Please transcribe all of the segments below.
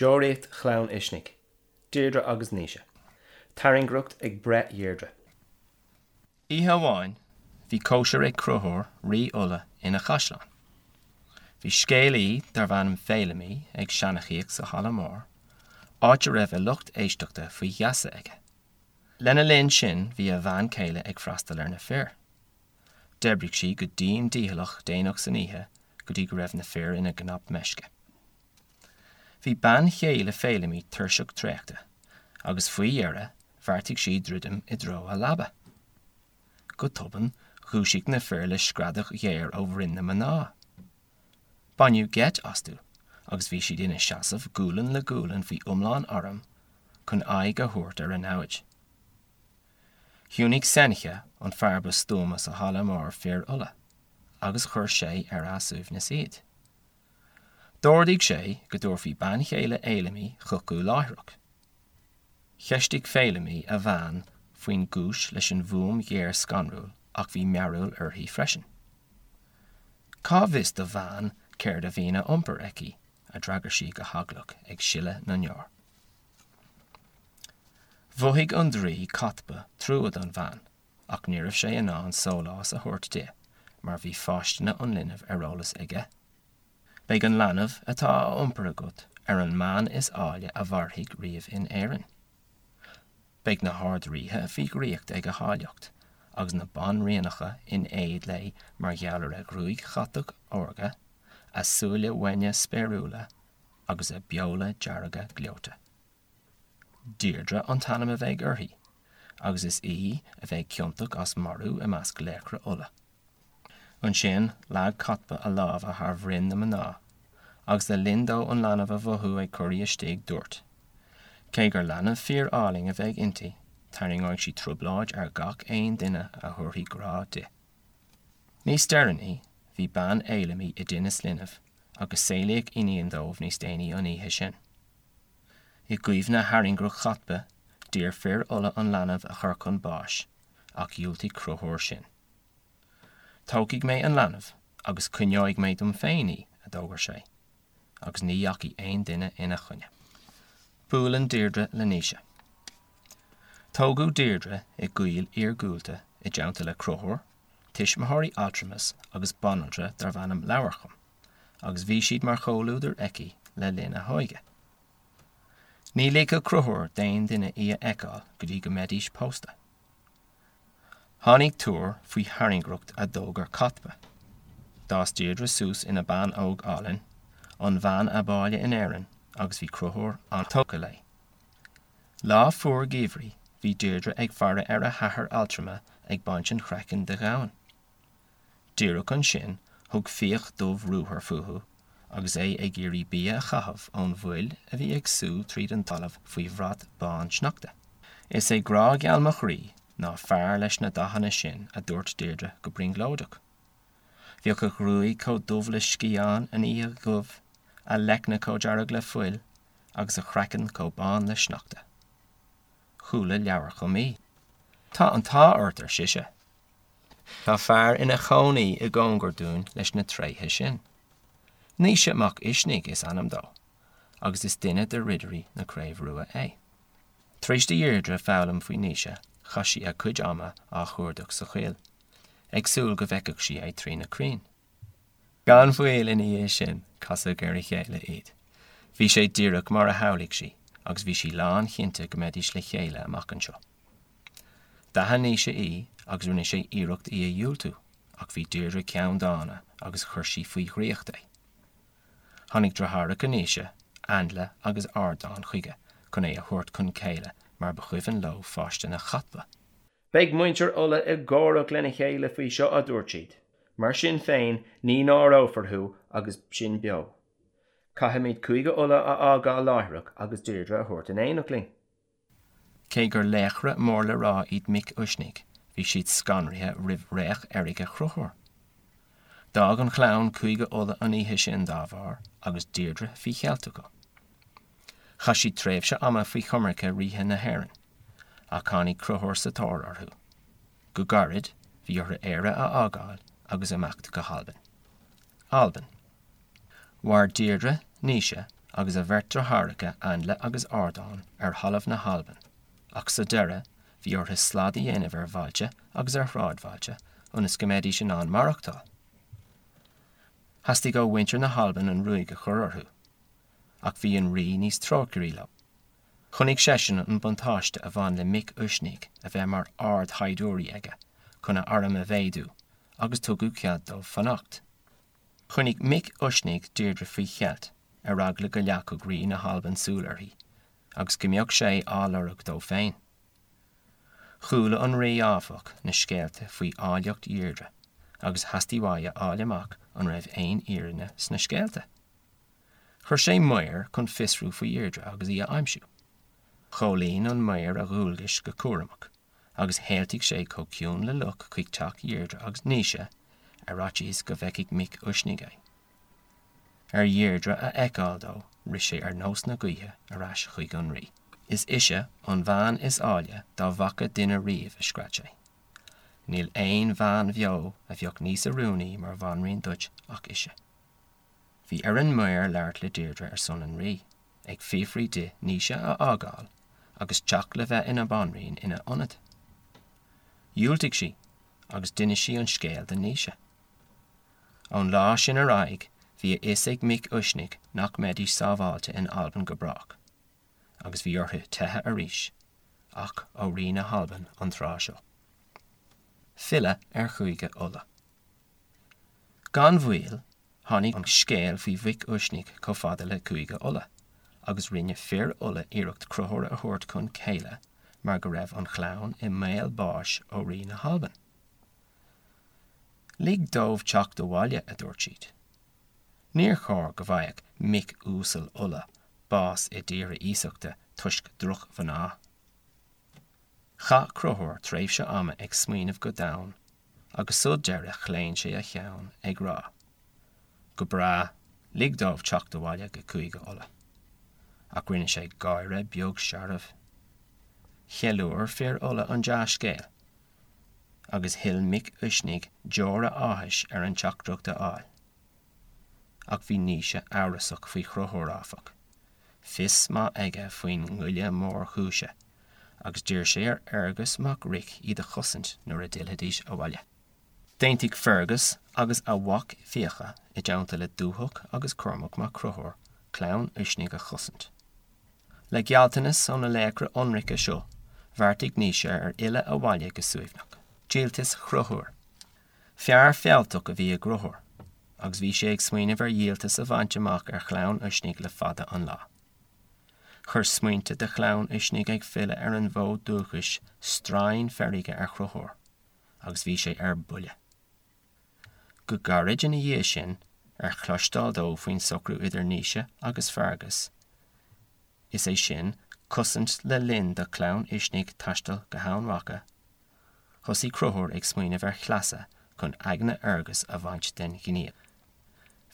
Deoraíocht Chlann Uisnigh, Deirdre agus Naoise. Tairngreacht ag breith Dheirdre. Oíche amháin bhí cóisir ag Conchúr, rí Uladh, ina chaisleán. Bhí scéalaí darbh ainm Féilimí ag seanchaíocht sa halla mór, áit a raibh a lucht éisteachta faoi gheasa aige. Lena linn sin bhí a bhean chéile ag freastal ar na fir. D'oibrigh sí go dian dícheallach déanach san oíche go dtí go raibh na fir ina gcnap meisce. Bhí bean chéile Féilimí tuirseach traochta, agus faoi dheireadh bheartaigh sí druidim i dtreo a leaba. Go tobann, dhúisigh na fir le screadach ghéar ó bhroinn na mná. Baineadh geit astu agus bhí siad ina seasamh gualainn le gualainn faoi iomlán airm chun aghaidh a thabhairt ar a namhaid. Chiúnaigh Sencha, an fear ba stuama sa halla mór fir Uladh, agus chuir sé ar a suaimhneas iad. D'ordaigh sé go dtabharfaí bean chéile Fhéilimí chucu láithreach. Cheistigh Féilimí a bhean faoin gcúis leis an bhfuaim ghéar scanrúil ach bhí mearbhall uirthi freisin. Cá bhfios do bhean céard a bhíonn á iompar aici, a d'fhreagair sí go heaglach ag sileadh na ndeor. Mhothaigh an draoi Cathbadh trua don bhean ach ní raibh sé in ann sólás a thabhairt di mar bhí fáistine an linbh ar eolas aige. Beidh an leanbh atá á iompar agat ar an mbean is áille a mhairfidh riamh in Éirinn. Beidh na hArd-Ríthe faoi dhraíocht ag a háilleacht, agus na banríonacha in éad léi mar gheall ar a gruaig chatach órga, a súile uaine spéiriúla agus a beola dearga gleoite. Deirdre an t-ainm a bheidh uirthi, agus is í a bheidh ciontach as marú i measc laochra Uladh. Ansin leag Cathbadh a lámha thar bhroinn na mná, agus le linn dó an leanbh a mhothú ag corraí istigh, dúirt, Cé gur leanbh fíor-álainn a bheidh inti, tarraingeoidh sí trioblóid ar gach aon duine a thabharfaidh grá di. Níos deireanaí, bhí bean Fhéilimí i dtinneas linbh, agus saolaíodh iníon dóibh níos déanaí an oíche sin. I gcuimhne thairngreacht Chathbadh, d'iarr fir Uladh an leanbh a chur chun báis, ach dhiúltaigh Conchúr sin. Tógfaidh mé an leanbh agus coinneoidh mé dom féin í, a d'fhógair sé, agus ní dheachaigh aon duine ina choinne. Buaileann Deirdre le Naoise. Tógadh Deirdre i gcoill iargúlta i dteannta le Conchúr, tuismitheoirí altramais agus banaltra darbh ainm Leabharcham. agus bhí siad mar chomhluadar aici le linn a hóige. Ní ligfeadh Conchúr d'aon duine í a fheiceáil go dtí go mbeidís pósta. Tháinig tuar faoi thairngreacht a d'fhógair Cathbadh. D'fhás Deirdre suas ina bean óg álainn, an bhean ab áille in Éirinn, agus bhí Conchúr an-tógtha léi. Lá fuar geimhridh, bhí Deirdre ag faire ar a hathair altrama ag baint an chraicinn de ghamhain. Díreach ansin thug fiach dubh ruathar fúthu agus é ag iarraidh bia a chaitheamh ón bhfuil a bhí ag sú tríd an talamh faoi bhrat bán sneachta. Is é grá geal mo chroí ná fear leis na dathanna sin, a dúirt Deirdre go brionglóideach. Bheadh a ghruaig chomh dubh le sciathán an oíche dhubh, a leicne chomh dearg le fuil, agus a chraiceann chomh bán le sneachta. Chuala Leabharcham í. Tá an t-ádh ort, ar sise. Tá fear ina chónaí i gcóngar dúinn leis na tréithe sin. Naoise Mac Uisnigh is ainm dó, agus is duine de ridirí na Craoibhe Rua é. Tar éis do Dheirdre foghlaim faoi Naoise, chaith sí a cuid ama á chuardach sa choill, ag súil go bhfeicfeadh sí é trí na crainn. Gan mhoill ina dhiaidh sin, casadh ar a chéile iad. Bhí sé díreach mar a shamhlaigh sí, agus bhí sí lánchinnte go mbeidís le chéile amach anseo. D'aithin Naoise í agus rinne sé iarracht í a dhiúltú, ach bhí Deirdre ceanndána agus chuir sí faoi dhraíocht é. Tháinig deartháireacha Naoise, Ainle agus Ardán chuige chun é a thabhairt chun céile mar ba chuimhin leo fáistine Chathbadh. Beidh muintir Uladh ag gáireach lena chéile faoi seo, a dúirt siad. Mar sin féin, ní náireofar thú agus sinn beo. Caithfimid Cúige Uladh a fhágáil láithreach agus Deirdre a thabhairt in éineacht linn. Cé gur laochra mór le rá iad mic Uisnigh, bhí siad scanraithe roimh fhraoch fheirge Chonchúir. D'fhág an chlann Cúige Uladh an oíche sin dá bharr agus Deirdre faoi cheilt acu. Chaith siad tréimhse ama faoi choimirce ríthe na hÉireann, ach tháinig Conchúr sa tóir orthu. Go gairid, bhí orthu Éire a fhágáil agus imeacht go hAlbain. Albain. Mhair Deirdre, Naoise. agus a bheirt deartháireacha Ainnle agus Ardán ar thalamh na hAlban, ach sa deireadh bhí orthu slad a dhéanamh ar bhailte agus ar shráidbhailte ionas go mbeidís in ann maireachtáil. Theastaigh ó mhuintir na hAlban an ruaig a chur orthu, ach bhí an rí níos trócairí leo. Chonaic seisean an buntáiste a bhain le mic Uisnigh a bheith mar ardshaighdiúirí aige chun a arm a mhéadú agus tugadh cead dóibh fanacht. Choinnigh mic Uisnigh Deirdre faoi cheilt ar eagla go leagfadh rí na hAlban súil uirthi agus go mbeadh sé á lorg dó féin. Chuala an rí, áfach, na scéalta faoi áilleacht Dheirdre agus theastaigh uaidh a fháil amach an raibh aon fhírinne sna scéalta. Chuir sé maor chun fiosrú faoi Dheirdre agus í a aimsiú. Chomhlíon an maor a dhualgais go cúramach agus théaltaigh sé chomh ciúin le luch chuig teach Dheirdre agus Naoise ar fhaitíos go bhfeicfeadh mic Uisnigh é. Ar Dheirdre a fheiceáil dó, rith sé ar nós na gaoithe ar ais chuig an rí. Is ise an bhean is áille dá bhfaca duine riamh, a scread sé. Níl aon bhean bheo a bheadh níos oiriúnaí mar bhanríon duit ach ise. Bhí ar an maor labhairt le Deirdre ar son an rí, ag fiafraí di Naoise a fhágáil agus teacht le bheith ina banríon ina ionad. Dhiúltaigh sí, agus d'inis sí an scéal do Naoise. Ón lá sin ar aghaidh, bhí a fhios ag mic Uisnigh nach mbeidís sábháilte in Albain go brách, agus bhí orthu teitheadh arís, ach ó rí na hAlban an tráth seo. Filleadh ar Chúige Uladh. Gan mhoill, tháinig an scéal faoi mhic Uisnigh chomh fada le Cúige Uladh, agus rinne fir Uladh iarracht Conchúr a thabhairt chun céille mar go raibh an chlann i mbaol báis ó rí na hAlban. Lig dóibh teacht abhaile, a dúirt siad. Níor chóir go bhfaigheadh mic uasal Uladh bás i dtíortha iasachta toisc droch-mhná. Chaith Conchúr tréimhse ama ag smaoineamh go domhain agus sa deireadh chlaon sé a cheann, ag rá, Go breá, lig dóibh teacht abhaile go Cúige Uladh. Ach rinne sé gáire beag searbh. Cheiliúir fir Uladh an dea-scéal, agus shil mic Uisnigh deora áthais ar an teachtaireacht a fháil. Ach bhí Naoise amhrasach faoi Chonchúr, áfach. Fios maith aige faoin ngoile mórchúise, agus d'iarr sé ar Fhearghas mac Roich iad a chosaint nuair a d'fhillfidís abhaile. D'aontaigh Fergus agus a mhac Fiacha, i dteannta le Dúthach agus Cormac mac Conchúir, clann Uisnigh a chosaint. Le gealltanas ó na laochra ionraice seo, bheartaigh Naoise ar fhilleadh abhaile go suaimhneach. Díoltas Chonchúir. Fear fealltach a bhí i gConchúr, agus bhí sé ag smaoineamh ar dhíoltas a bhaint amach ar chlann Uisnigh le fada an lá. Chuir smaointe de chlann Uisnigh ag filleadh ar an bhfód dúchais straidhn feirge ar Chonchúr, agus bhí sé ar buile. Go gairid ina dhiaidh sin, ar chloisteáil dó faoin socrú idir Naoise agus Fearghas, is é sin, cosaint le linn do chlann Uisnigh taisteal go hEamhain Mhacha, Thosaigh Conchúr ag smaoineamh ar chleasa chun aigne Fhearghais a bhaint den ghníomh.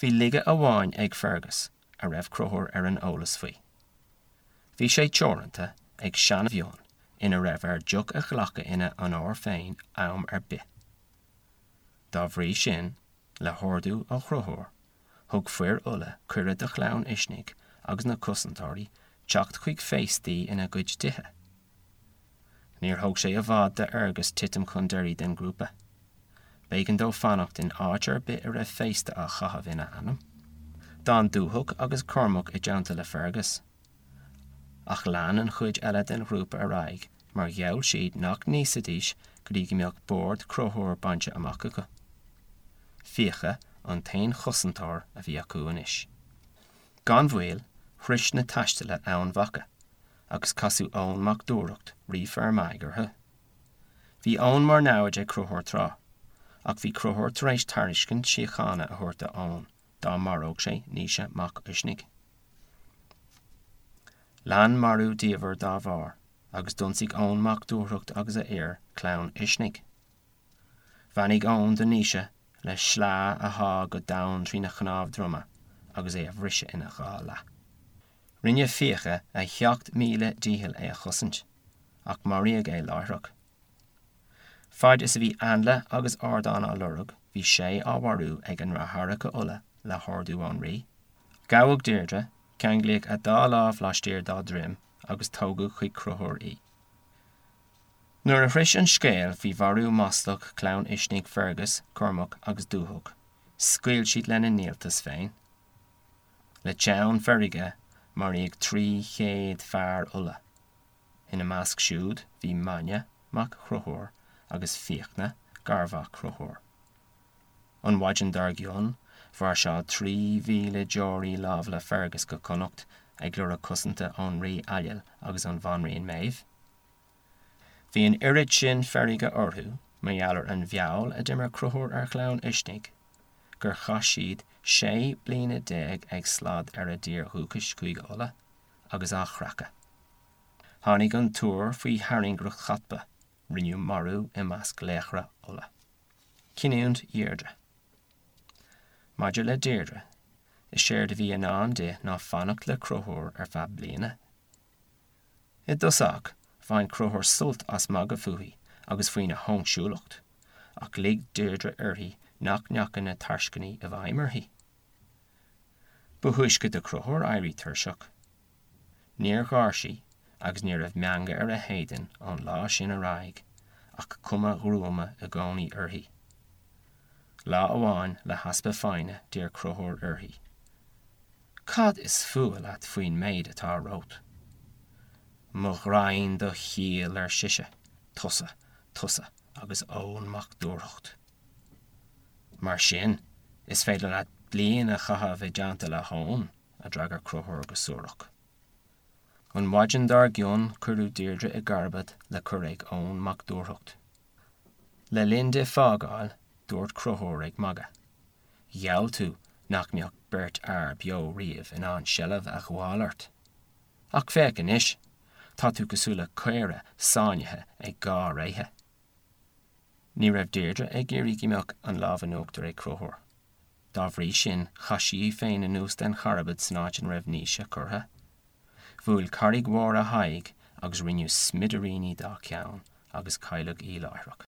Bhí laige amháin ag Fergus a raibh Conchúr ar an eolas faoi. Bhí sé teoranta ag seana-mhionn ina raibh air deoch a ghlacadh ina onóir féin am ar bith. Dá bhrí sin, le hordú ó Chonchúr, thug fir Uladh cuireadh do chlann Uisnigh agus na cosantóirí teacht chuig féastaí ina gcuid tithe. Níor thóg sé i bhfad d'Fhearghas titim chun deiridh den ghrúpa. B'éigean dó fanacht in áit ar bith a raibh féasta á chaitheamh ina ainm. D'fhan Dúthach agus Cormac i dteannta le Fergus. Ach lean an chuid eile den ghrúpa ar aghaidh mar gheall siad nach n-íosfaidís go dtí go mbeadh bord Chonchúir bainte amach acu. Fiacha an t-aon chosantóir a bhí acu anois. Gan mhoill, shrois na taistealaithe Eamhain Mhacha, agus casadh Eoin mac Dúrthacht, rí Fear Maigh, orthu. Bhí Eoin mar namhaid ag Conchúr tráth, ach bhí Conchúr tar éis tairiscint síochána a thabhairt do Eoin dá maródh sé Naoise mac Uisnigh. Lean marú diamhair dá bharr, agus d'ionsaigh Eoin mac Dúrthacht agus a fhir clann Uisnigh. Bheannaigh Eoin do Naoise le sleá a shá go domhain trína chnámh droma agus é a bhriseadh ina dhá leath. Rinne Fiacha a 7,000 dícheall é a chosaint, ach maraíodh é láithreach. Faid is a bhí Ainnle agus Ardán á lorg, bhí Sé á mharú ag a ndeartháireacha Uladh le hordú ón rí. Gabhadh Deirdre. Ceanglaíodh a dá lámh laistiar dá droim agus tógadh chuig Conchúr í. Nuair a shrois an scéal faoi mharú maslach chlann Uisnigh Fergus, Cormac agus Dúthach, scaoil siad lena ndíoltas féin. Le teann feirge, maraíodh 300 fear Uladh. Ina measc siúd bhí Maine mac Chonchúir agus Fiachna, garmhac Chonchúir. An mhaidin dár gcionn, mhairseáil 3,000 deoraí láimh le Fergus go Connacht ag lorg cosanta ón rí Ailill agus ón bhanríon Méabh. Bhí an oiread sin feirge orthu mar gheall ar an bhfeall a d'imir Conchúr ar chlann Uisnigh gur chaith siad 16 bliana ag slad ar a dtír dhúchais, Cúige Uladh, agus á chreachadh. Tháinig an tuar faoi thairngreacht Chathbha, rinneadh marú i measc laochra Uladh. Cinniúint Dheirdre. Maidir le Deirdre, is éard a bhí i ndán di ná fanacht le Conchúr ar feadh bliana. I dtosach, bhain Conchúr sult as magadh fúithi agus faoina hóinsiúlacht, ach lig Deirdre uirthi nach ndeachaigh na tairscintí i bhfeidhm uirthi. Ba thúisce do Chonchúr éirí tuirseach. Níor gháir sí agus ní raibh meangadh ar a héadan ón lá sin ar aghaidh ach cuma ghruama i gcónaí uirthi. Lá amháin, le heaspa foighne, d'iarr Conchúr uirthi, Cad is fuath leat faoin méid atá romhat? Mo ghraidhin do chiall, ar sise, tusa, tusa agus Eoin Mac Dúrthacht. Mar sin, is féidir leat bliain a chaitheamh i dteannta le hEoin, a d'fhreagair Conchúr go suarach. An mhaidin dár gcionn cuireadh Deirdre i gcarbad le cur ag Eoin Mac Dúrthacht. Le linn di fágáil, dúirt Conchúr ag magadh, Gheall tú nach mbeadh beirt fhear beo riamh in ann seilbh a ghabháil ort. Ach féach anois, tá tú cosúil le caora sáinnithe ag dhá réithe. Ní raibh Deirdre ag iarraidh go mbeadh an lámh in uachtar ag Conchúr. Dá bhrí sin, chaith sí í féin anuas den charbad san áit ina raibh Naoise curtha. Bhuail carraig mhór a haghaidh agus rinneadh smidiríní dá ceann agus cailleadh í láithreach.